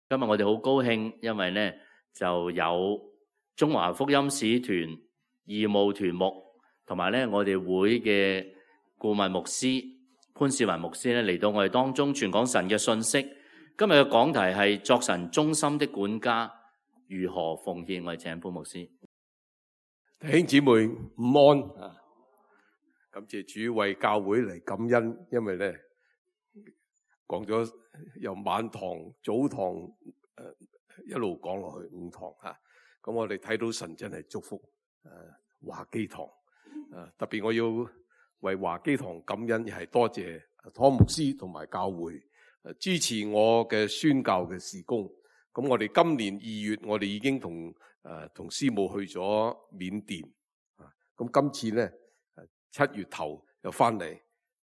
今日我哋好高興，因為呢就有中華福音使團義務團牧同埋呢我哋會嘅顧問牧師潘士文牧師呢嚟到我哋當中傳講神嘅信息。今日嘅講題係作神忠心的管家如何奉獻。我哋請潘牧師。弟兄姊妹午安啊！感謝主為教會嚟感恩，因為咧講咗由晚堂、早堂一路講落去5堂吓，咁我哋睇到神真係祝福華基堂特別我要為華基堂感恩，係多謝湯牧師同埋教會支持我嘅宣教嘅事工。咁我哋今年2月，我哋已經同師母去咗緬甸咁今次咧7月頭又翻嚟，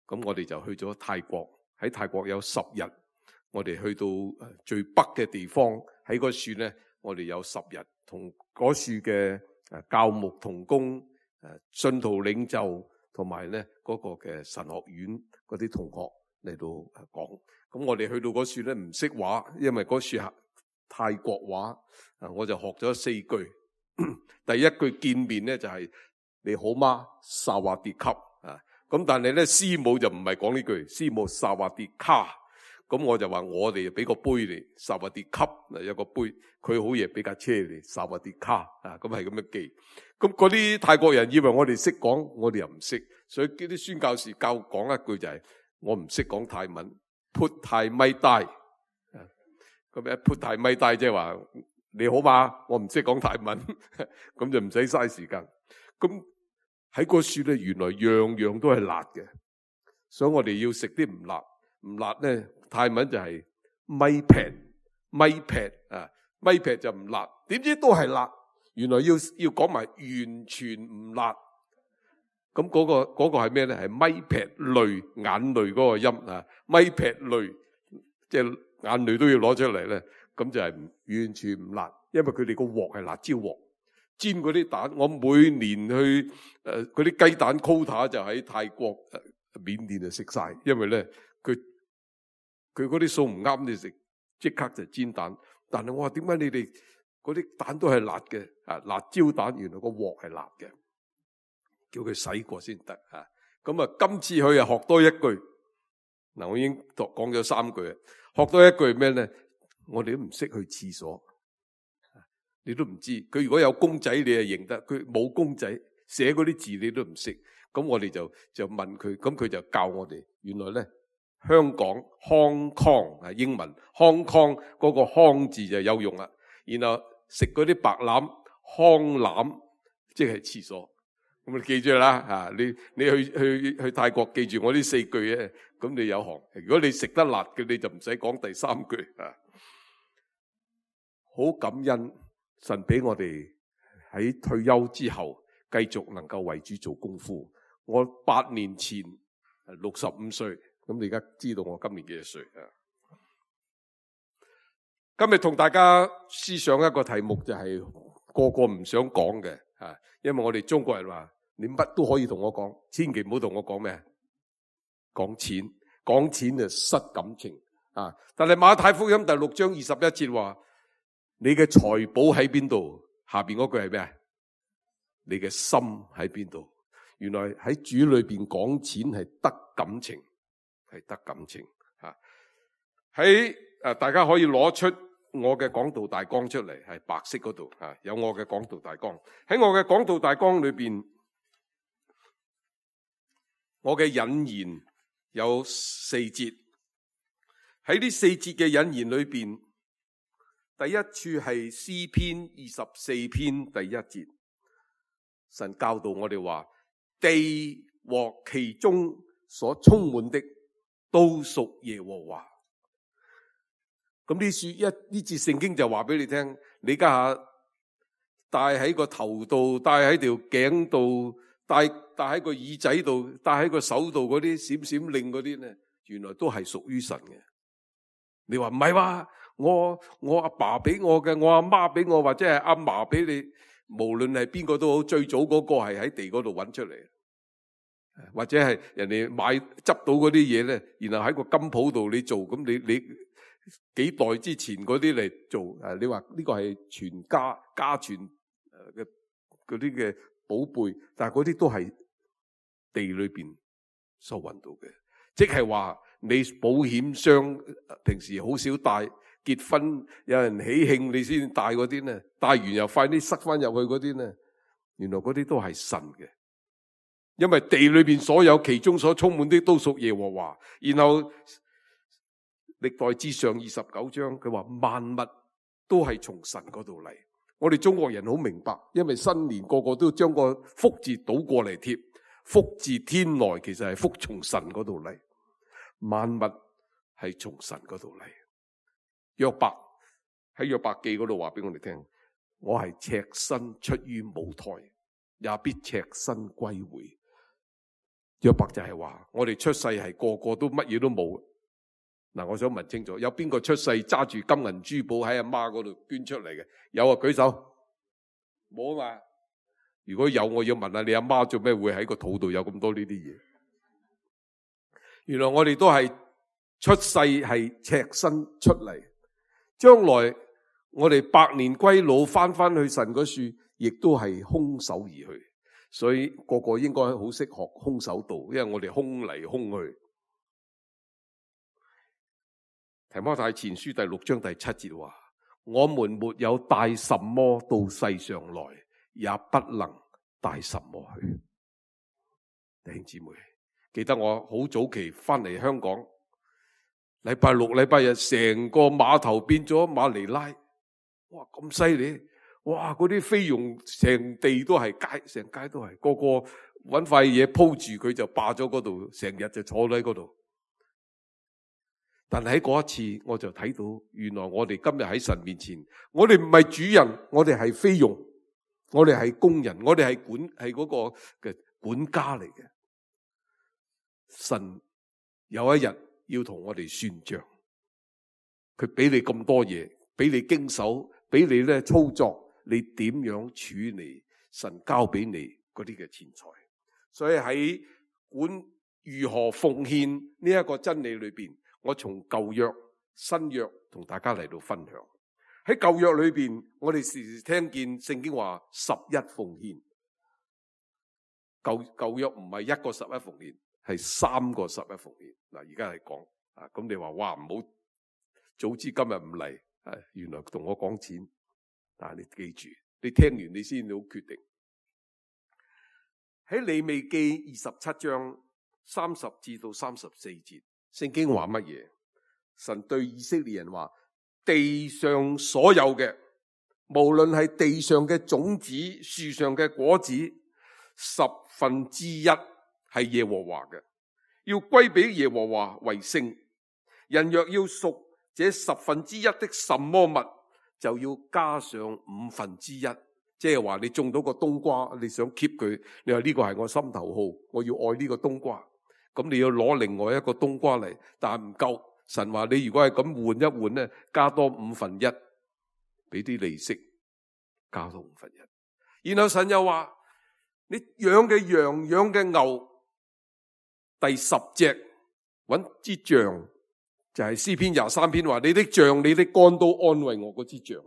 咁我哋就去咗泰國。喺泰國有10日，我哋去到最北嘅地方，喺嗰處咧，我哋有10日同嗰處嘅教牧同工、信徒領袖同埋咧嗰個嘅神學院嗰啲同學嚟到講。咁我哋去到嗰處咧唔識話，因為嗰處係泰國話，我就學咗4句。第一句見面咧就係你好嗎？薩瓦迪卡啊！咁但係咧師母就唔係講呢句，師母薩瓦迪卡。咁我就話我哋俾個杯你，薩瓦迪卡有個杯，佢好嘢俾架車你，薩瓦迪卡啊！咁係咁樣記。咁嗰啲泰國人以為我哋識講，我哋又唔識，所以啲宣教士教講一句就係我唔識講泰文，潑泰咪帶。咁一潑泰咪帶即係話你好嘛？我唔識講泰文，咁就唔使嘥時間。咁喺嗰處咧，原來樣樣都係辣嘅，所以我哋要食啲唔辣。唔辣咧，泰文就係咪劈啊，咪劈就唔辣。點知都係辣，原來要講埋完全唔辣。咁嗰個係咩咧？係咪劈淚，眼淚嗰個音啊，咪劈淚，即係眼淚都要攞出嚟咧。咁就係完全唔辣，因為佢哋個鑊係辣椒鑊。煎嗰啲蛋，我每年去嗰啲雞蛋 quota 就喺泰國、緬甸就食晒，因為咧佢嗰啲餸唔啱你食，即刻就煎蛋。但係我話點解你哋嗰啲蛋都係辣嘅？辣椒蛋原來個鑊係辣嘅，叫佢洗過先得啊。咁今次佢又學多一句，嗱我已經講咗3句，學多一句咩咧？我哋都唔識去廁所。你都唔知，佢如果有公仔你係認得，佢冇公仔寫嗰啲字你都唔識，咁我哋就問佢，咁佢就教我哋，原來咧香港 Hong Kong 係英文 Hong Kong 嗰個康字就有用啦，然後食嗰啲白欖康欖即係廁所，咁你記住啦你去泰國記住我呢4句咧，咁你有行。如果你食得辣嘅，你就唔使講第3句好感恩。神俾我哋喺退休之後繼續能夠為主做功夫。我8年前65歲，咁你而家知道我今年幾多歲啊？今日同大家思想一個題目，就係個個唔想講嘅因為我哋中國人話你乜都可以同我講，千祈唔好同我講咩？講錢就失感情但係馬太福音第6章21節話，你嘅財寶喺邊度？下邊嗰句係咩？你嘅心喺邊度？原來喺主裏邊講錢係得感情，係得感情喺大家可以攞出我嘅講道大綱出嚟，係白色嗰度有我嘅講道大綱。喺我嘅講道大綱裏邊，我嘅引言有4節。喺呢4節嘅引言裏邊，第一處係詩篇24篇第1節，神教導我哋話，地和其中所充滿的都屬耶和華。咁呢節聖經就話俾你聽，你家下戴喺個頭度，戴喺條頸度，戴喺個耳仔度，戴喺個手度嗰啲閃閃令嗰啲咧，原來都係屬於神嘅。你話唔係話我阿爸俾我嘅，我阿媽俾我，或者係阿嫲俾你，無論係邊個都好，最早嗰個係喺地嗰度揾出嚟，或者係人哋執到嗰啲嘢咧，然後喺個金鋪度你做，咁你幾代之前嗰啲嚟做，你話呢個係全家傳嘅嗰啲嘅寶貝，但係嗰啲都係地裏邊所揾到嘅，即係話你保險箱平時好少帶，結婚有人喜慶你先帶嗰啲呢，帶完又快啲塞翻入去嗰啲呢，原來嗰啲都係神嘅，因為地裏邊所有其中所充滿的都屬耶和華。然後歷代志上29章佢話萬物都係從神嗰度嚟。我哋中國人好明白，因為新年個個都將個福字倒過嚟貼，福自天來，其實係福從神嗰度嚟，萬物係從神嗰度嚟。約伯喺約伯記嗰度話俾我哋聽，我係赤身出於母胎，也必赤身歸回。約伯就係話我哋出世係個個都乜嘢都冇。嗱，我想問清楚，有邊個出世揸住金銀珠寶喺阿媽嗰度捐出嚟嘅？有啊，舉手。冇啊嘛。如果有，我要問下你阿媽做咩會喺個肚度有咁多呢啲嘢？原來我哋都係出世係赤身出嚟，將來我哋百年歸老翻去神嗰處，亦都係空手而去。所以個個應該好識學空手道，因為我哋空嚟空去。提摩太前書第6章第7節話：我們沒有帶什麼到世上來，也不能帶什麼去。弟兄姊妹，記得我好早期翻嚟香港，禮拜六禮拜日成個碼頭變咗馬尼拉，哇咁犀利！哇嗰啲菲傭成地都係街，成街都係，個個搵塊嘢鋪住佢就霸咗嗰度，成日就坐喺嗰度。但係喺嗰一次，我就睇到原來我哋今日喺神面前，我哋唔係主人，我哋係菲傭，我哋係工人，我哋係嗰個嘅管家嚟嘅。神有一日要同我哋算賬，佢俾你咁多嘢，俾你經手，俾你咧操作，你點樣處理神交俾你嗰啲嘅錢財？所以喺管如何奉獻呢一個真理裏邊，我從舊約、新約同大家嚟到分享。喺舊約裏邊，我哋時時聽見聖經話11奉獻。舊約唔係一個11奉獻，係3個11奉獻。嗱，而家係講啊，咁你話哇唔好，早知今日唔嚟，原來同我講錢。但係你記住，你聽完你先好決定。喺利未記27章30至到34節。聖經話乜嘢？神對以色列人話：地上所有嘅，無論係地上嘅種子、樹上嘅果子，1/10係耶和華嘅，要歸俾耶和華為聖。人若要贖這1/10的什麼物，就要加上1/5。即係話你種到個冬瓜，你想 keep 佢，你話呢個係我心頭好，我要愛呢個冬瓜。咁你要攞另外一個冬瓜嚟，但係唔夠。神話你如果係咁換一換咧，加多1/5，俾啲利息，加多1/5。然後神又話：你養嘅羊、養嘅牛，第10隻搵支杖，就係詩篇23篇話：你的杖、你的竿都安慰我嗰支杖。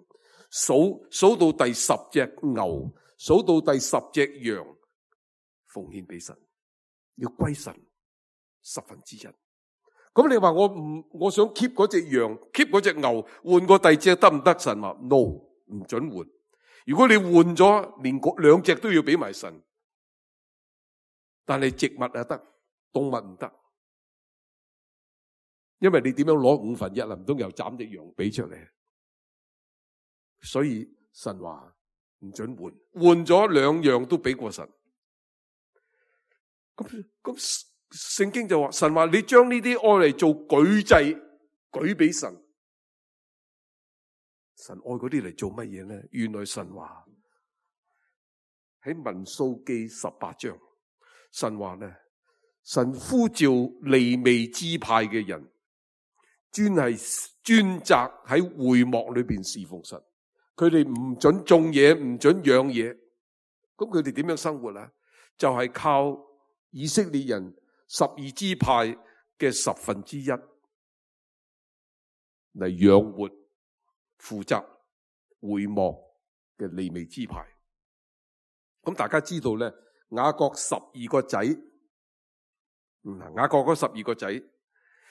數到第10隻牛，數到第10隻羊，奉獻俾神，要歸神。1/10。咁你話我想 keep 嗰隻羊 ，keep 嗰隻牛，換個第二隻得唔得？神話 no， 唔准換。如果你換咗，連2隻都要俾埋神。但係植物啊得，動物唔得，因為你點樣攞1/5啊？唔通又斬隻羊俾出嚟？所以神話唔准換，換咗2樣都俾過神。咁聖經就話，神話你將呢啲愛嚟做舉祭，舉俾神。神愛嗰啲嚟做乜嘢呢？原來神話喺民數記18章，神話呢，神呼召利未支派嘅人，專責喺會幕裏邊侍奉神。佢哋唔准種嘢，唔准養嘢。咁佢哋點樣生活啊？就係靠以色列人12支派嘅1/10，嚟養活負責會幕嘅利未支派。咁大家知道咧，雅各12個仔，雅各嗰12個仔，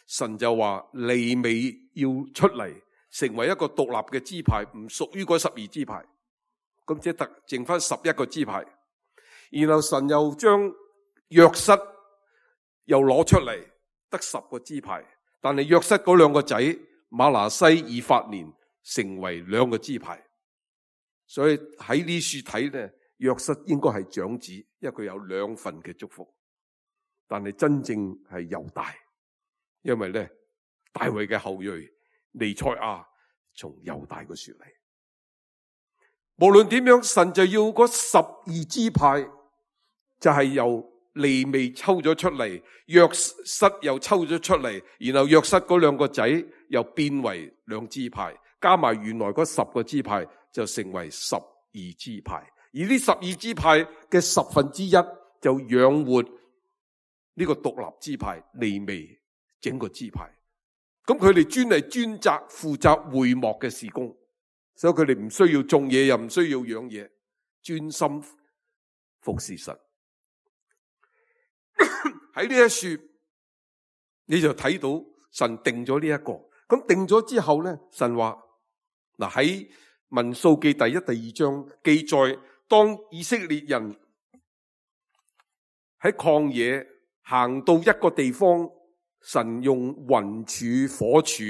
神就話利未要出嚟成為一個獨立嘅支派，唔屬於嗰12支派。咁即係剩翻11個支派。然後神又將約瑟又攞出嚟，得10個支派。但係約瑟嗰兩個仔馬拿西、以法蓮成為2個支派。所以喺呢處睇咧，約瑟應該係長子，因為佢有2份嘅祝福。但係真正係猶大，因為咧大衛嘅後裔彌賽亞從猶大嗰處嚟。無論點樣，神就要嗰12支派，就係由利未抽咗出嚟，約瑟又抽咗出嚟，然後約瑟嗰2個仔又變為2支派，加埋原來嗰10個支派就成為12支派。而呢12支派嘅1/10就養活呢個獨立支派利未整個支派。咁佢哋專責負責會幕嘅事工，所以佢哋唔需要種嘢，又唔需要養嘢，專心服侍神。喺呢一處你就睇到神定咗呢一個。咁定咗之後咧，神話嗱，喺民數記第1、第2章記載，當以色列人喺曠野行到一個地方，神用雲柱火柱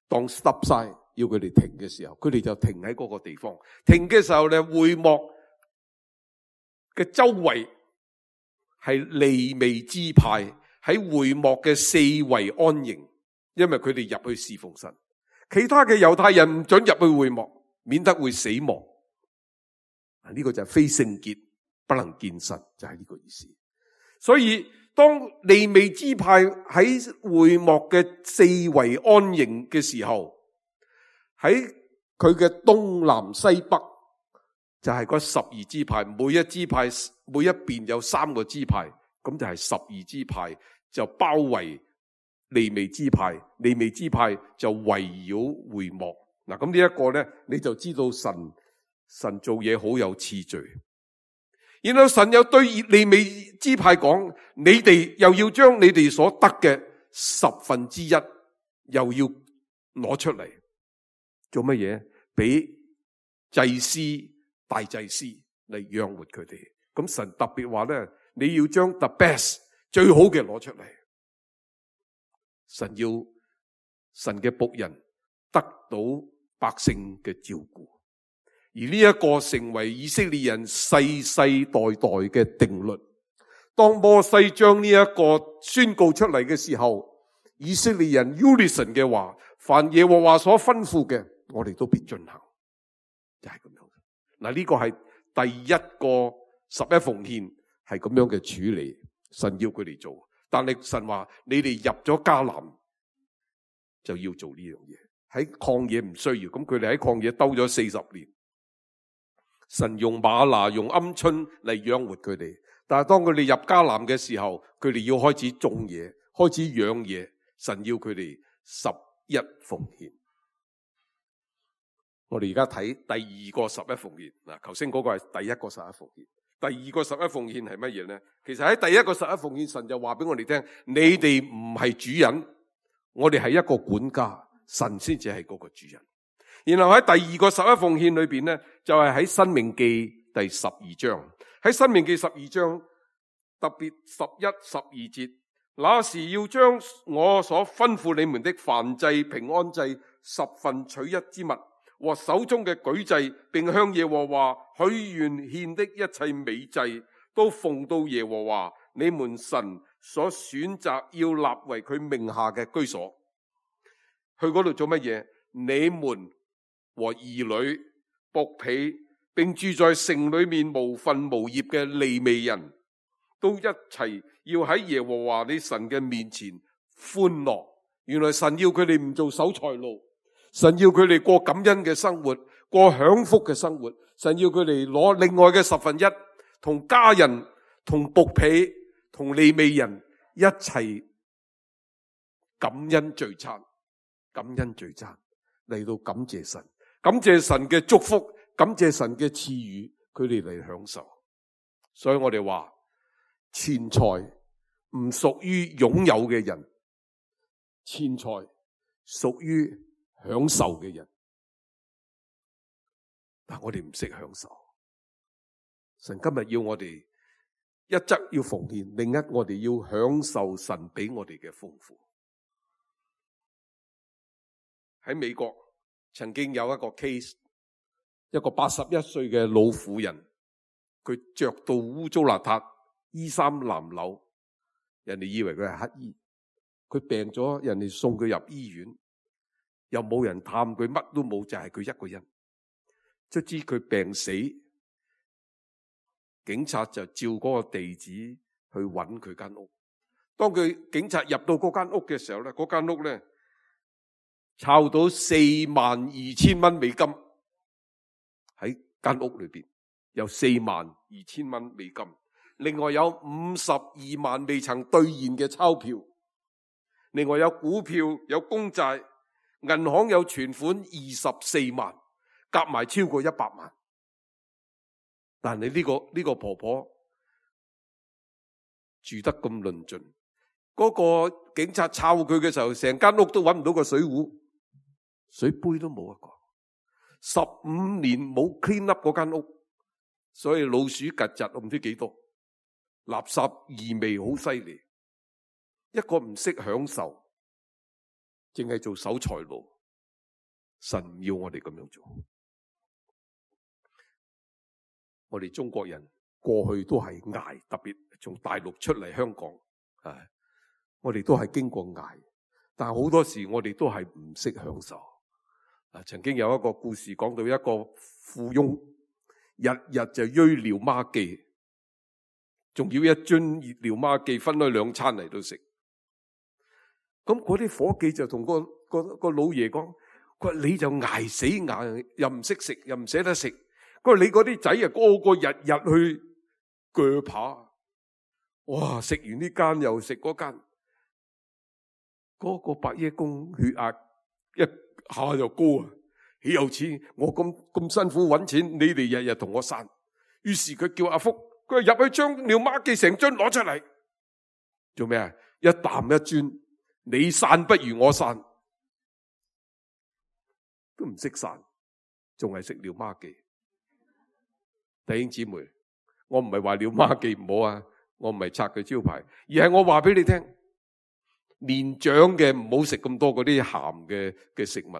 當 stop sign 要佢哋停嘅時候，佢哋就停喺嗰個地方。停嘅時候咧，會幕嘅周圍係利未支派喺會幕嘅四圍安營，因為佢哋入去侍奉神。其他嘅猶太人唔准入去會幕，免得會死亡。呢個就係非聖潔，不能見神，就係呢個意思。所以當利未支派喺會幕嘅四圍安營嘅時候，喺佢嘅東南西北就係嗰12支派，每一支派每一邊有3個支派，咁就係12支派就包圍利未支派，利未支派就圍繞會幕。嗱，咁呢一個咧，你就知道神做嘢好有次序。然後神又對利未支派講，你哋又要將你哋所得嘅1/10又要攞出嚟，做乜嘢？俾祭司、大祭司嚟養活佢哋。咁神特別話咧，你要將 the best 最好嘅攞出嚟。神要神嘅僕人得到百姓嘅照顧，而呢一個成為以色列人世世代代嘅定律。當摩西將呢一個宣告出嚟嘅時候，以色列人 unison 嘅話，凡耶和華所吩咐嘅，我哋都必進行，就係咁樣。嗱，呢個係第一個11奉獻係咁樣嘅處理，神要佢哋做。但係神話你哋入咗迦南就要做呢樣嘢，喺曠野唔需要。咁佢哋喺曠野兜咗40年，神用嗎哪用鵪鶉嚟養活佢哋。但係當佢哋入迦南嘅時候，佢哋要開始種嘢，開始養嘢。神要佢哋11奉獻。我哋而家睇第二個11奉獻。嗱，頭先嗰個係第一個11奉獻。第二個11奉獻係乜嘢咧？其實喺第一個11奉獻，神就話俾我哋聽，你哋唔係主人，我哋係一個管家，神先至係嗰個主人。然後喺第二個11奉獻裏邊咧，就係喺申命記第12章。喺申命記12章特別11、12節，那時要將我所吩咐你們的燔祭、平安祭、10分取一之物和手中嘅舉祭，並向耶和華許願獻的一切美祭，都奉到耶和華你們神所選擇要立為佢名下嘅居所。去嗰度做乜嘢？你們和兒女、僕婢，並住在城裏面無分無業嘅利未人，都一齊要喺耶和華你神嘅面前歡樂。原來神要佢哋唔做守財奴，神要佢哋過感恩嘅生活，過享福嘅生活。神要佢哋攞另外嘅1/10，同家人、同僕婢、同利未人一齊感恩聚餐。感恩聚餐，嚟到感謝神，感謝神嘅祝福，感謝神嘅賜予，佢哋嚟享受。所以我哋話錢財唔屬於擁有嘅人，錢財屬於享受嘅人。但我哋唔識享受。神今日要我哋一則要奉獻，另一我哋要享受神俾我哋嘅豐富。喺美國曾經有一個 case， 一個81歲嘅老婦人，佢着到污糟邋遢，衣衫襤褸，人哋以為佢係乞衣，佢病咗，人哋送佢入醫院，又冇人探佢，乜都冇，就係佢一個人。卒之佢病死，警察就照嗰個地址去揾佢間屋。當警察入到嗰間屋嘅時候咧，嗰間屋咧抄到42,000蚊美金喺間屋裏邊，有42,000蚊美金，另外有52萬未曾兌現嘅鈔票，另外有股票、有公債，銀行有存款24萬，夾埋超過100萬。但係呢個婆婆住得咁論盡，嗰個警察抄佢嘅時候，成間屋都揾唔到個水壺，水杯都冇一個。15年冇 clean up 嗰間屋，所以老鼠曱甴我唔知幾多，垃圾異味好犀利。一個唔識享受，淨係做守財奴，神唔要我哋咁樣做。我哋中國人過去都係捱，特別從大陸出嚟香港，我哋都係經過捱，但係好多時我哋都係唔識享受。曾經有一個故事講到一個富翁，日日就鋥尿媽記，仲要一樽熱尿媽記分開2餐嚟到食。咁嗰啲伙計就同個老爺講，佢話你就捱死捱，又唔識食，又唔捨得食。佢話你嗰啲仔啊，個個日日去鋸扒，哇！食完呢間又食嗰間，嗰個伯爺公血壓一下就高啊！豈有此理，我咁辛苦揾錢，你哋日日同我散。於是佢叫阿福，佢話入去將尿媽記成樽攞出嚟，做咩啊？一啖一樽，你散不如我散，都唔識散，仲係食尿媽記。弟兄姊妹，我唔係話尿媽記唔好啊，我唔係拆佢招牌，而係我話俾你聽，年長嘅唔好食咁多嗰啲鹹嘅食物，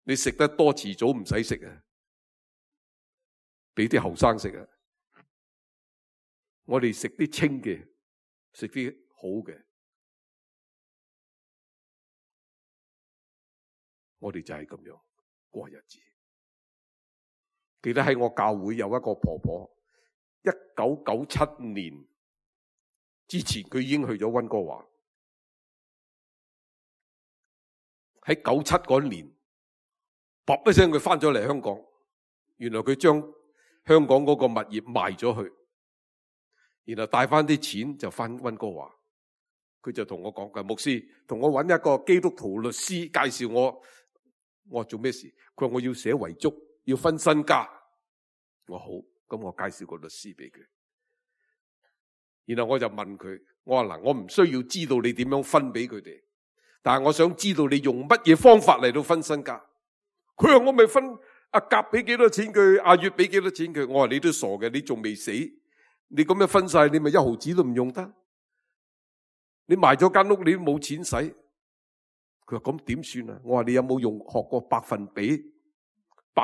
你食得多遲早唔使食啊，俾啲後生食啊。我哋食啲清嘅，食啲好嘅，我哋就係咁樣過日子。記得喺我教會有一個婆婆，1997年之前佢已經去咗溫哥華。喺97嗰年，噥一聲佢翻咗嚟香港。原來佢將香港嗰個物業賣咗去，然後帶翻啲錢就翻溫哥華。佢就同我講嘅，牧師同我揾一個基督徒律師介紹我。我話做咩事？佢話我要寫遺囑，要分身家。我好，咁我介紹個律師俾佢。然後我就問佢，我話嗱，我唔需要知道你點樣分俾佢哋，但係我想知道你用乜嘢方法嚟到分身家。佢話我咪分阿甲俾幾多錢佢，阿月俾幾多錢佢。我話你都傻嘅，你仲未死，你咁樣分晒，你咪1毫子都唔用得。你賣咗間屋，你都冇錢使。佢話咁點算啊？我話你有冇學過百分比？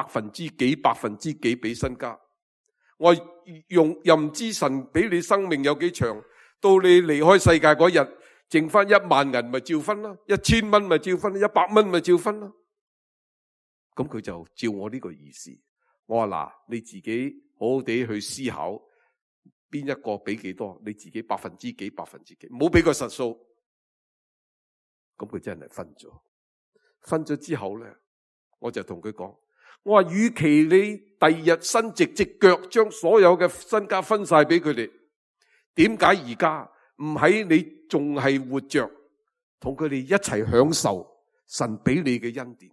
分之幾俾身家？我又唔知神俾你生命有幾長，到你離開世界嗰日，剩翻1萬銀咪照分啦，1000蚊咪照分，100蚊咪照分啦。咁佢就照我呢個意思。我話嗱，你自己好好地去思考，邊一個俾幾多，你自己百分之幾，唔好俾個實數。咁佢真係分咗之後咧，我就同佢講。我話，與其你第二日伸直隻腳將所有嘅身家分晒俾佢哋，點解而家唔喺你仲係活着，同佢哋一齊享受神俾你嘅恩典。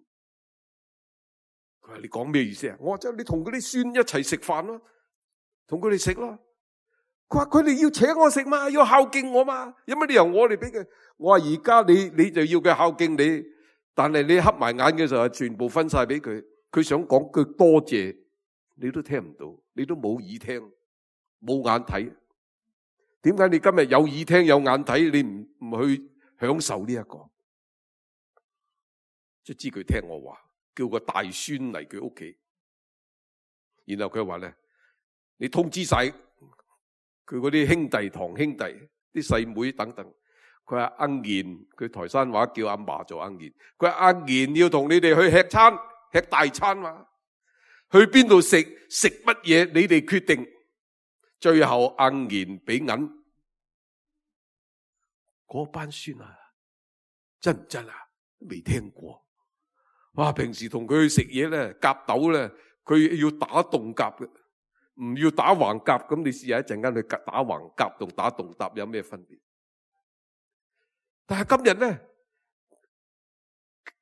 佢話你講咩意思啊？我話即係你同嗰啲孫一齊食飯咯，同佢哋食咯。佢話佢哋要請我食嘛，要孝敬我嘛，有乜理由我哋俾佢？我話而家你就要佢孝敬你，但係你瞌埋眼嘅時候，全部分晒俾佢。佢想講句多謝，你都聽唔到，你都冇耳聽，冇眼睇。點解你今日有耳聽有眼睇，你唔去享受呢一個？即係知佢聽我話，叫個大孫嚟佢屋企，然後佢話咧，你通知晒佢嗰啲兄弟堂兄弟啲細妹等等。佢話阿賢，佢台山話叫阿嫲做阿賢。佢話阿賢要同你哋去吃餐，吃大餐嘛。去邊度食乜嘢，你哋決定。最後阿賢俾銀。嗰班孫啊，真唔真啊？未聽過。哇！平時同佢去食嘢咧，夾豆咧，佢要打戙夾嘅。唔要打橫夾，咁你試下一陣間去打橫夾同打戙搭有咩分別？但係今日咧，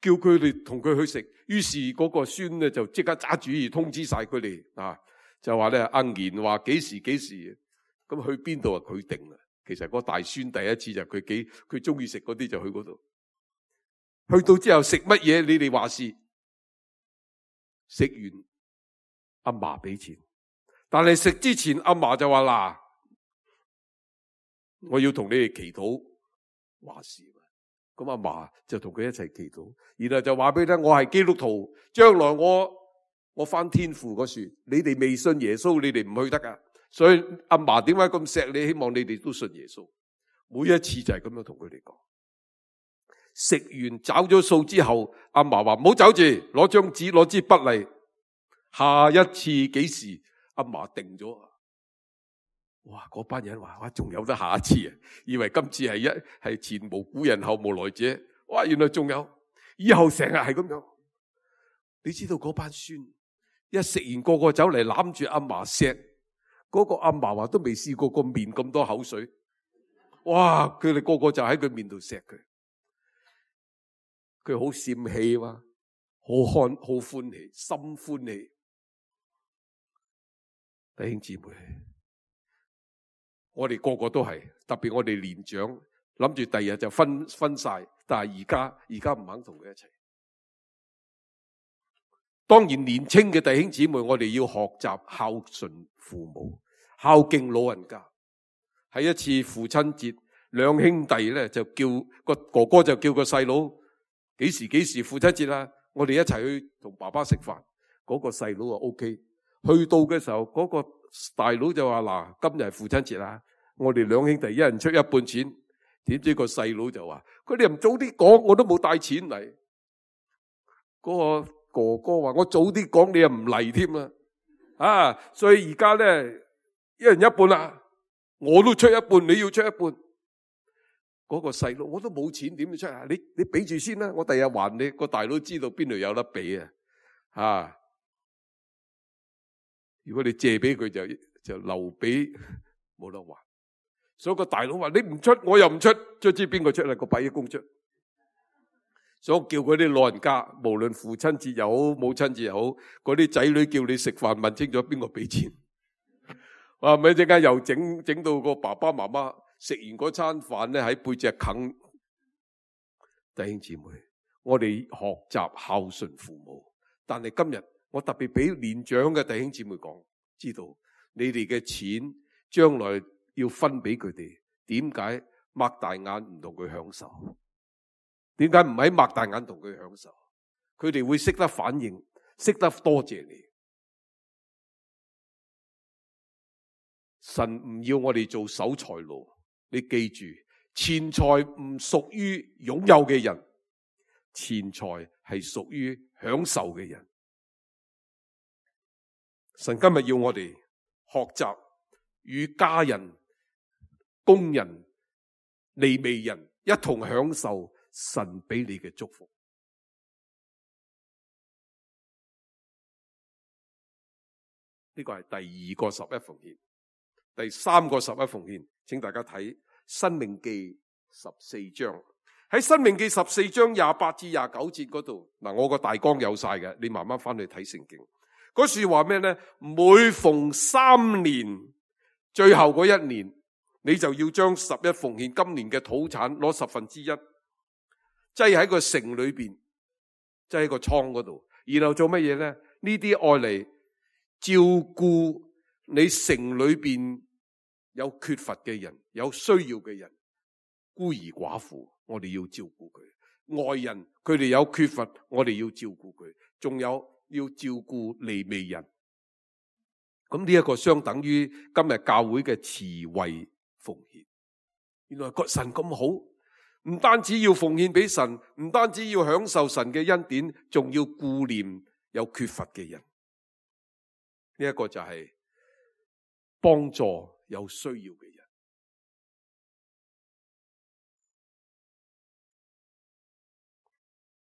叫佢哋同佢去食，於是嗰個孫咧就即刻揸主意通知晒佢哋啊，就話咧阿賢話幾時，咁去邊度啊？佢定啦。其實嗰大孫第一次就佢中意食嗰啲就去嗰度，去到之後食乜嘢你哋話事，食完阿嫲俾錢。但係食之前，阿嫲就話嗱，我要同你哋祈禱話事。咁阿嫲就同佢一齊祈禱，然後就話俾你聽，我係基督徒，將來我返天父嗰處，你哋未信耶穌，你哋唔去得噶。所以阿嫲點解咁錫你？希望你哋都信耶穌。每一次就係咁樣同佢哋講。食完找咗數之後，阿嫲話唔好走住，攞張紙攞支筆嚟，下一次幾時？阿嫲定咗。哇！嗰班人話：哇，仲有得下一次啊！以為今次係前無古人後無來者。哇！原來仲有，以後成日係咁樣。你知道嗰班孫一食完個個走嚟攬住阿嫲錫，嗰個阿嫲話都未試過個面咁多口水。哇！佢哋個個就喺佢面度錫佢，佢好羨氣嘛，好歡喜，心歡喜。弟兄姊妹，我哋個個都係，特別我哋年長，諗住第日就分晒，但係而家唔肯同佢一齊。當然年青嘅弟兄姊妹，我哋要學習孝順父母，孝敬老人家。喺一次父親節，兩兄弟咧就叫個哥哥就叫個細佬，幾時父親節啊？我哋一齊去同爸爸食飯。嗰個細佬啊 OK。去到嘅時候，嗰個大佬就話嗱，今日係父親節啦，我哋兩兄弟一人出一半錢。點知個細佬就話：佢哋唔早啲講，我都冇帶錢嚟。嗰個哥哥話：我早啲講，你又唔嚟添啦。啊，所以而家咧，一人一半啦，我都出一半，你要出一半。嗰個細佬我都冇錢，點出啊？你俾住先啦，我第日還你。個大佬知道邊度有得俾啊？啊！如果你借俾佢就留俾冇得還，所以個大佬話你唔出我又唔出，最知邊個出啦？個百億公出，所以叫嗰啲老人家，無論父親節又好母親節又好，嗰啲仔女叫你食飯問清楚邊個俾錢，哇！咪一陣間又整到個爸爸媽媽食完嗰餐飯咧喺背脊啃。弟兄姊妹，我哋學習孝順父母，但係今日。我特別俾年長嘅弟兄姊妹講，知道你哋嘅錢將來要分俾佢哋，點解擘大眼唔同佢享受？點解唔喺擘大眼同佢享受？佢哋會識得反應，識得多謝你。神唔要我哋做守財奴，你記住，錢財唔屬於擁有嘅人，錢財係屬於享受嘅人。神今日要我哋學習與家人、工人、利未人一同享受神俾你嘅祝福。呢個係第二個十一奉獻，第三個十一奉獻，請大家睇《申命記》14章。喺申命記14章28至29節嗰度，嗱，我個大綱有晒嘅，你慢慢翻去睇聖經。嗰說話咩呢？每逢3年最後嗰1年，你就要將11奉獻今年嘅土產攞1/10，擠喺個城裏邊，擠喺個倉嗰度，然後做乜嘢呢？呢啲愛嚟照顧你城裏邊有缺乏嘅人，有需要嘅人，孤兒寡婦，我哋要照顧佢；外人佢哋有缺乏，我哋要照顧佢，仲有要照顧利未人。咁呢一個相等於今日教會嘅慈惠奉獻。原來個神咁好，唔單止要奉獻俾神，唔單止要享受神嘅恩典，仲要顧念有缺乏嘅人。呢一個就係幫助有需要嘅人。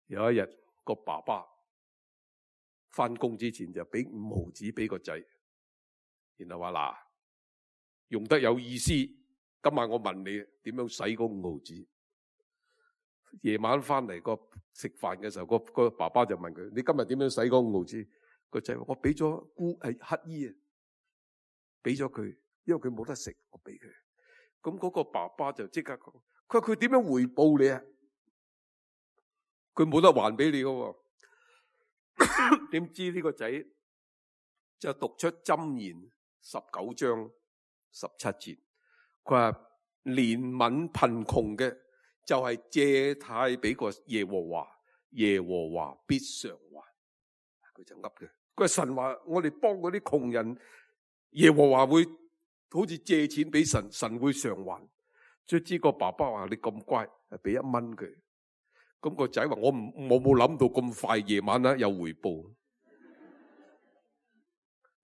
有一日個爸爸翻工之前就俾5毫子俾個仔，然後話嗱，用得有意思，今晚我問你點樣使嗰5毫子。夜晚翻嚟個食飯嘅時候，個爸爸就問佢：你今日點樣使嗰5毫子？個仔話：我俾咗乞衣啊，俾咗佢，因為佢冇得食，我俾佢。咁嗰個爸爸就即刻講：佢點樣回報你啊？佢冇得還俾你噶。點知呢個仔就讀出箴言19章17節，佢話憐憫貧窮嘅就係借貸俾個耶和華，耶和華必償還。佢就噏嘅，佢話神話我哋幫嗰啲窮人，耶和華會好似借錢俾神，神會償還。卒之個爸爸話：你咁乖，俾1蚊佢。咁個仔話：我冇諗到咁快夜晚有回報。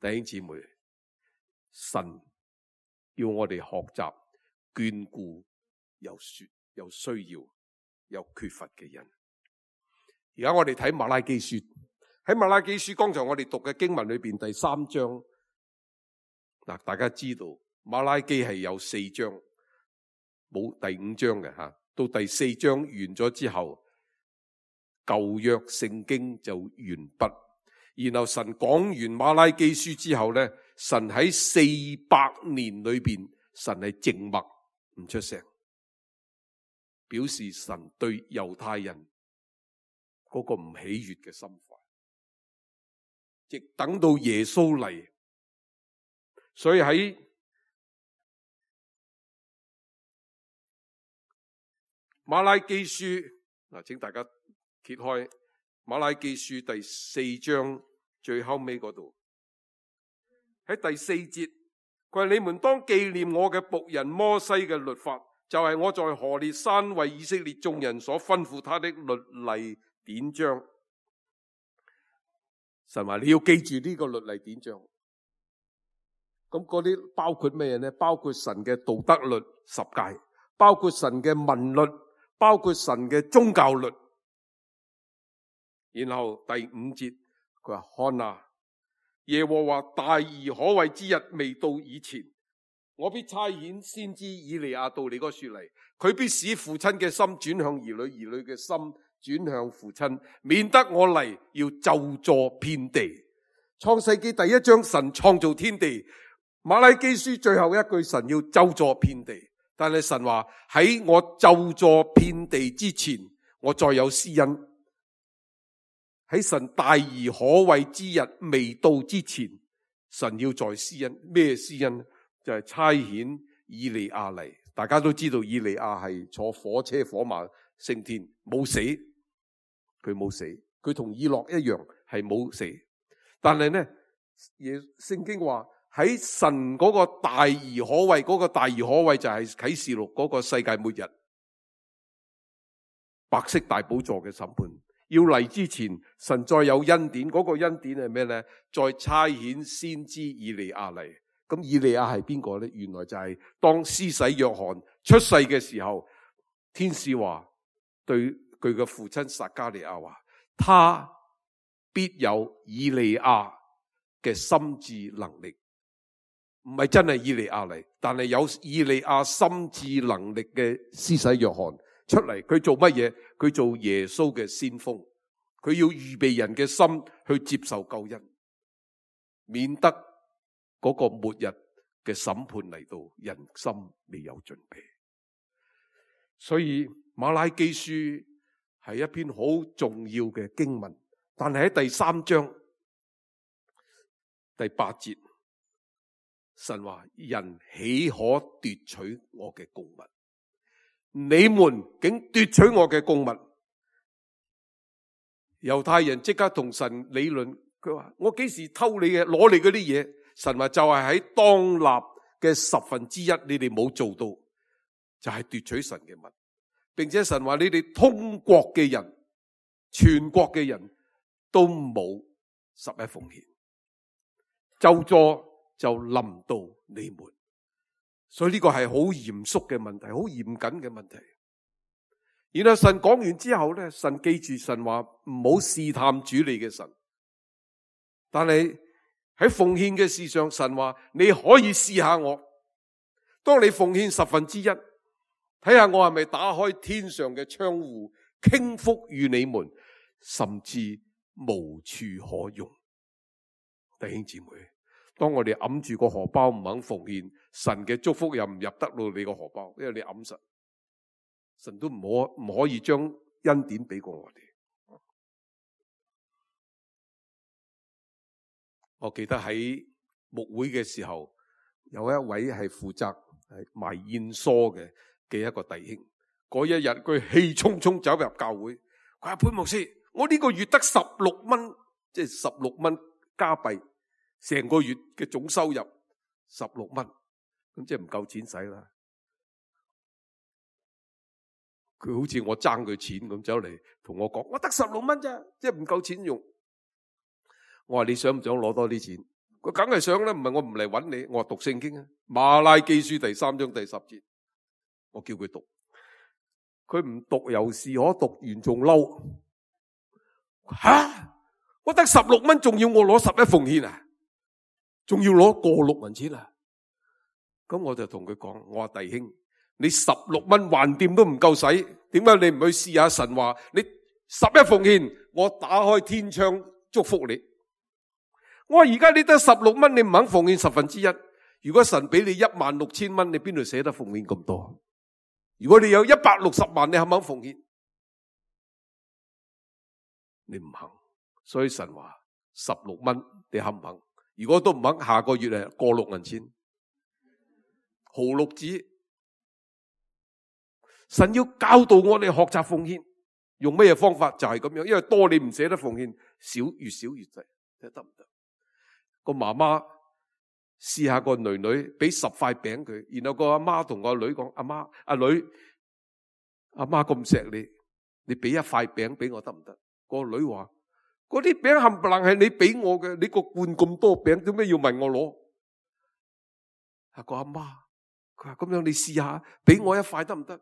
弟兄姊妹，神要我哋學習眷顧有需要、有缺乏嘅人。而家我哋睇馬拉基書，喺馬拉基書剛才我哋讀嘅經文裏邊第3章，嗱，大家知道馬拉基係有4章，冇第5章嘅吓。到第4章完咗之後，舊約聖經就完畢。然後神講完馬拉基書之後咧，神喺400年裏邊，神係靜默唔出聲，表示神對猶太人嗰個唔喜悅嘅心懷，直等到耶穌嚟。所以喺馬拉基書嗱，請大家揭開馬拉基書第4章最後尾嗰度，喺第4節，佢話：你們當紀念我嘅僕人摩西嘅律法，就係我在何烈山為以色列眾人所吩咐他的律例典章。神話你要記住呢個律例典章。咁嗰啲包括咩呢？包括神嘅道德律10誡，包括神嘅民律，包括神嘅宗教律。然後第5節佢話：看啊，耶和華大而可畏之日未到以前，我必差遣先知以利亞到你嗰處嚟，佢必使父親嘅心轉向兒女，兒女嘅心轉向父親，免得我嚟要咒詛遍地。創世記第1章神創造天地，馬拉基書最後一句神要咒詛遍地，但係神話喺我咒詛遍地之前，我再有施恩。喺神大而可畏之日未到之前，神要再施恩。咩施恩？就係差遣以利亞嚟。大家都知道以利亞係坐火車火馬升天，冇死，佢冇死，佢同以諾一樣係冇死。但係呢，聖經話喺神嗰個大而可畏，嗰個大而可畏就係啟示錄嗰個世界末日，白色大寶座嘅審判。要嚟之前，神再有恩典，嗰個恩典係咩呢？再差遣先知以利亞嚟。咁以利亞係邊個呢？原來就係當施洗約翰出世嘅時候，天使話對佢嘅父親撒加利亞話，他必有以利亞嘅心智能力。唔係真係以利亞嚟，但係有以利亞心智能力嘅施洗約翰出嚟，佢做乜嘢？佢做耶穌嘅先鋒，佢要預備人嘅心去接受救恩，免得嗰個末日嘅審判嚟到，人心未有準備。所以馬拉基書係一篇好重要嘅經文，但係喺第3章第8節，神話人豈可奪取我嘅供物？你們竟奪取我嘅供物。猶太人即刻同神理論，佢話我幾時偷你嘅，攞你嗰啲嘢？神話就係喺當納嘅1/10，你哋冇做到，就係奪取神嘅物。並且神話你哋通國嘅人，全國嘅人都冇11奉獻，咒詛就臨到你們。所以呢個係好嚴肅嘅問題，好嚴謹嘅問題。然後神講完之後咧，神記住神話唔好試探主你嘅神，但係喺奉獻嘅事上，神話你可以試下我。當你奉獻1/10，睇下我係咪打開天上嘅窗戶，傾福與你們，甚至無處可容。弟兄姊妹，當我哋揞住個荷包唔肯奉獻，神嘅祝福又唔入得到你個荷包，因為你揞實，神都唔可以將恩典俾過我哋。我記得喺牧會嘅時候，有一位係負責賣燕梳嘅一個弟兄，嗰一日佢氣沖沖走入教會，佢話潘牧師，我呢個月得16蚊，即係16蚊加幣，成個月嘅總收入16蚊，咁即係唔夠錢使啦。佢好似我爭佢錢咁走嚟同我講，我得16蚊咋，即係唔夠錢用。我話你想唔想攞多啲錢？佢梗係想啦，唔係我唔嚟揾你。我話讀聖經啊，馬拉基書第3章第10節，我叫佢讀，佢唔讀又是可，讀完仲嬲。吓，我得16蚊，仲要我攞11奉獻啊？仲要攞過6銀錢啊？咁我就同佢講，我話弟兄，你16蚊還掂都唔夠使，點解你唔去試下神話？你11奉獻，我打開天窗祝福你。我話而家你得16蚊，你唔肯奉獻1/10。如果神俾你16000蚊，你邊度捨得奉獻咁多？如果你有160萬，你肯唔肯奉獻？你唔肯，所以神話16蚊，你肯唔肯？如果都唔肯，下個月係過6銀錢，毫六子。神要教導我哋學習奉獻，用咩方法？就係咁樣，因為多你唔捨得奉獻，少越少越滯，得唔得？個媽媽試下個女女俾10塊餅佢，然後個阿媽同個女講：阿媽，阿女，阿媽咁錫你，你俾1塊餅俾我得唔得？個女話：嗰啲餅冚唪唥係你俾我嘅，你個罐咁多餅，點解要問我攞？啊，個阿媽佢話：咁樣你試下俾我1塊得唔得？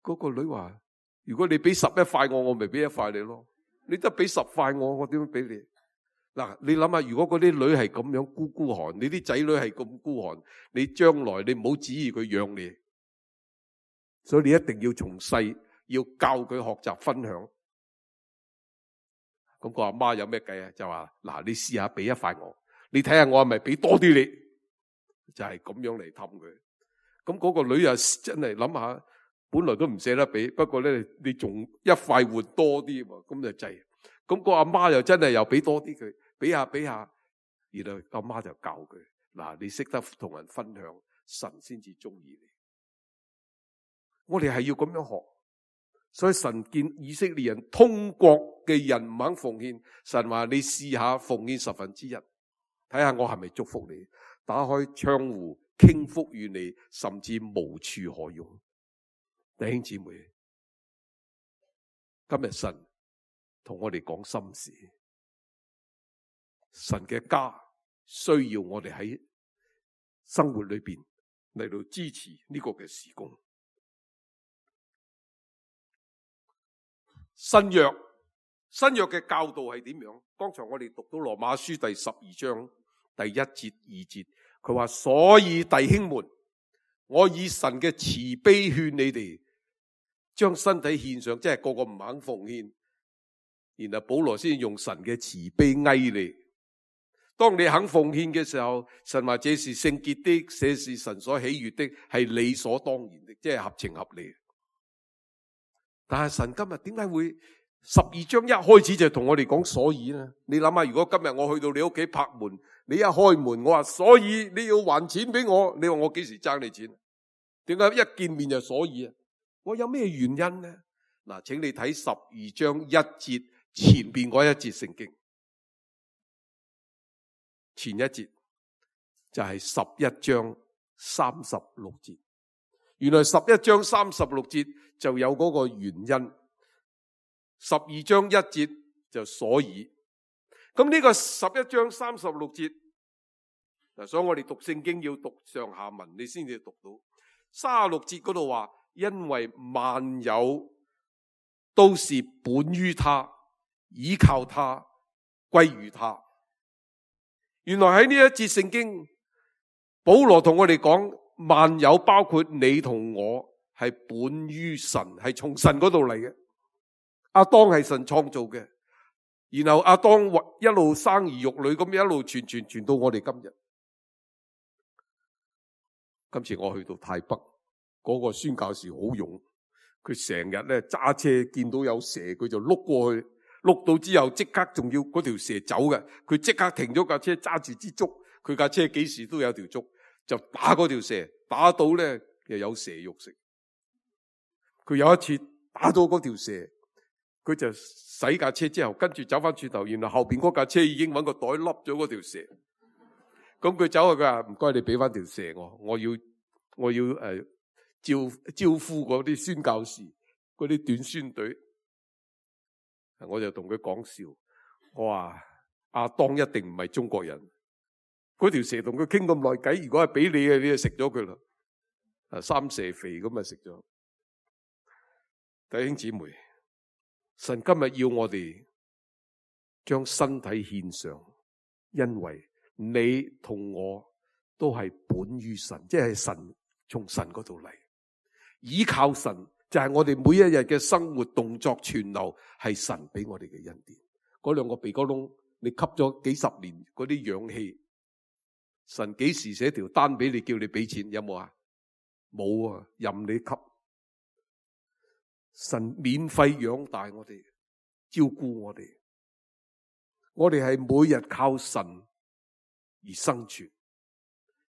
嗰個女話：如果你俾11塊我咪俾1塊你咯。你得俾10塊我點樣俾你？嗱，你諗下，如果嗰啲女係咁樣孤寒，你啲仔女係咁孤寒，你將來你唔好指意佢養你，所以你一定要從細要教佢學習分享。咁個阿媽有咩計啊？就話嗱，你試下俾1塊我，你睇下我係咪俾多啲你？就係咁樣嚟氹佢。咁嗰個女又真係諗下，本來都唔捨得俾，不過咧你仲1塊換多啲，咁就滯。咁個阿媽又真係又俾多啲佢，俾下，然後阿媽就教佢嗱，你識得同人分享，神先至中意你。我哋係要咁樣學，所以神見以色列人通國嘅人唔肯奉獻，神話你試下奉獻1/10，睇下我係咪祝福你，打開窗戶傾福與你，甚至無處可容。弟兄姊妹，今日神同我哋講心事，神嘅家需要我哋喺生活裏邊嚟到支持呢個嘅事工。新約嘅教導係點樣？剛才我哋讀到羅馬書第12章第1節2節，佢話：所以弟兄們，我以神嘅慈悲勸你哋，將身體獻上，即係個個唔肯奉獻。然後保羅先用神嘅慈悲哀你。當你肯奉獻嘅時候，神話這是聖潔的，這是神所喜悅的，係理所當然的，即係合情合理。但係神今日點解會12章一開始就同我哋講所以呢？你諗下，如果今日我去到你屋企拍門，你一開門，我話所以你要還錢俾我，你話我幾時爭你錢？點解一見面就所以啊？我有咩原因呢？嗱，請你睇12章1節前邊嗰一節聖經，前一節就係11章36節。原來11章36節就有嗰個原因，12章1節就所以。咁呢個11章36節，所以我哋讀聖經要讀上下文，你先至讀到。36節嗰度話，因為萬有都是本於他，倚靠他，歸於他。原來喺呢一節聖經，保羅同我哋講，萬有包括你同我，係本於神，係從神嗰度嚟嘅。亞當係神創造嘅，然後亞當一路生兒育女，咁一路傳到我哋今日。今次我去到泰北，嗰個宣教士好勇，佢成日咧揸車見到有蛇，佢就碌過去，碌到之後即刻仲要嗰條蛇走嘅，佢即刻停咗架車，揸住支竹，佢架車幾時都有條竹，就打嗰條蛇，打到咧又有蛇肉食。佢有一次打到嗰條蛇，佢就洗架車之後，跟住走翻轉頭，然後後邊嗰架車已經揾個袋笠咗嗰條蛇。咁佢走去，佢話唔該你俾翻條蛇我要招呼嗰啲宣教士，嗰啲短宣隊。我就同佢講笑，我話亞當一定唔係中國人。嗰條蛇同佢傾咁耐偈，如果係俾你嘅，你就食咗佢啦。三蛇肥咁啊食咗。弟兄姊妹，神今日要我哋將身體獻上，因為你同我都係本於神，即係神從神嗰度嚟，依靠神就係我哋每一日嘅生活動作存留，係神俾我哋嘅恩典。嗰兩個鼻哥窿，你吸咗幾十年嗰啲氧氣，神幾時寫條單俾你叫你俾錢？有冇啊？冇啊，任你吸。神免費養大我哋，照顧我哋。我哋係每日靠神而生存，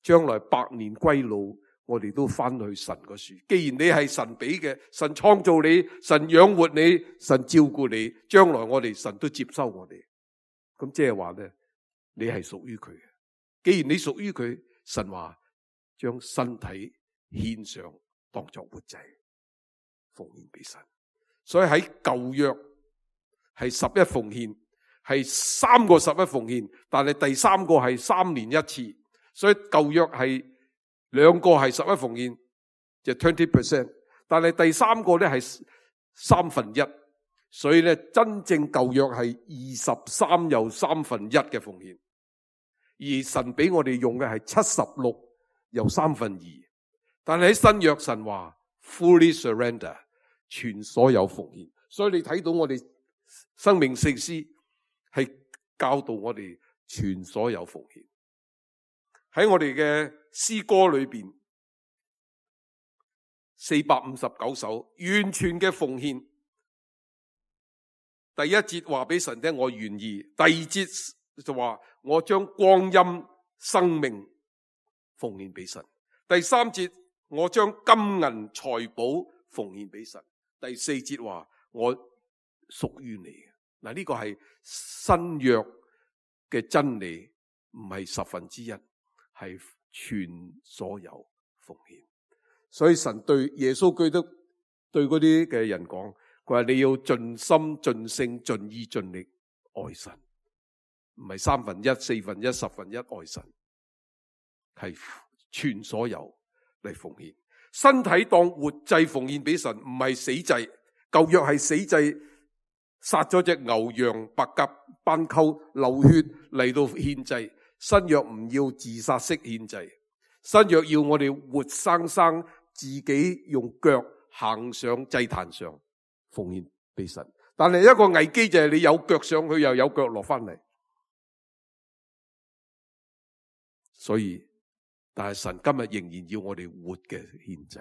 將來百年歸老，我哋都翻去神個樹。既然你係神俾嘅，神創造你，神養活你，神照顧你，將來我哋神都接收我哋。咁即係話咧，你係屬於佢嘅。既然你屬於佢，神話將身體獻上，當作活祭，奉獻俾神。所以喺舊約係11奉獻，係3個11奉獻，但係第3個係3年一次。所以舊約係2個係11奉獻，就 20%， 但係第3個咧係1/3。所以咧真正舊約係23又1/3嘅奉獻，而神俾我哋用嘅係76又2/3。但係喺新約神話 fully surrender， 全所有奉獻。所以你睇到我哋生命聖詩係教導我哋全所有奉獻。喺我哋嘅詩歌裏邊459首完全嘅奉獻。第一節話俾神聽我願意，第二節就話我將光陰生命奉獻俾神，第3節我將金銀財寶奉獻俾神，第4節話我屬於你。嗱，呢個係新約嘅真理，唔係1/10，係全所有奉獻。所以神對耶穌基督對嗰啲嘅人講，佢話你要盡心盡性盡意盡力愛神，唔係1/3、1/4、1/10愛神，係全所有嚟奉獻。身體當活祭奉獻俾神，唔係死祭。舊約係死祭，殺咗隻牛羊白鴿斑鳩流血嚟到獻祭。新約唔要自殺式獻祭，新約要我哋活生生自己用腳行上祭壇上奉獻俾神。但係一個危機就係你有腳上去又有腳落翻嚟。所以但係神今日仍然要我哋活嘅獻祭，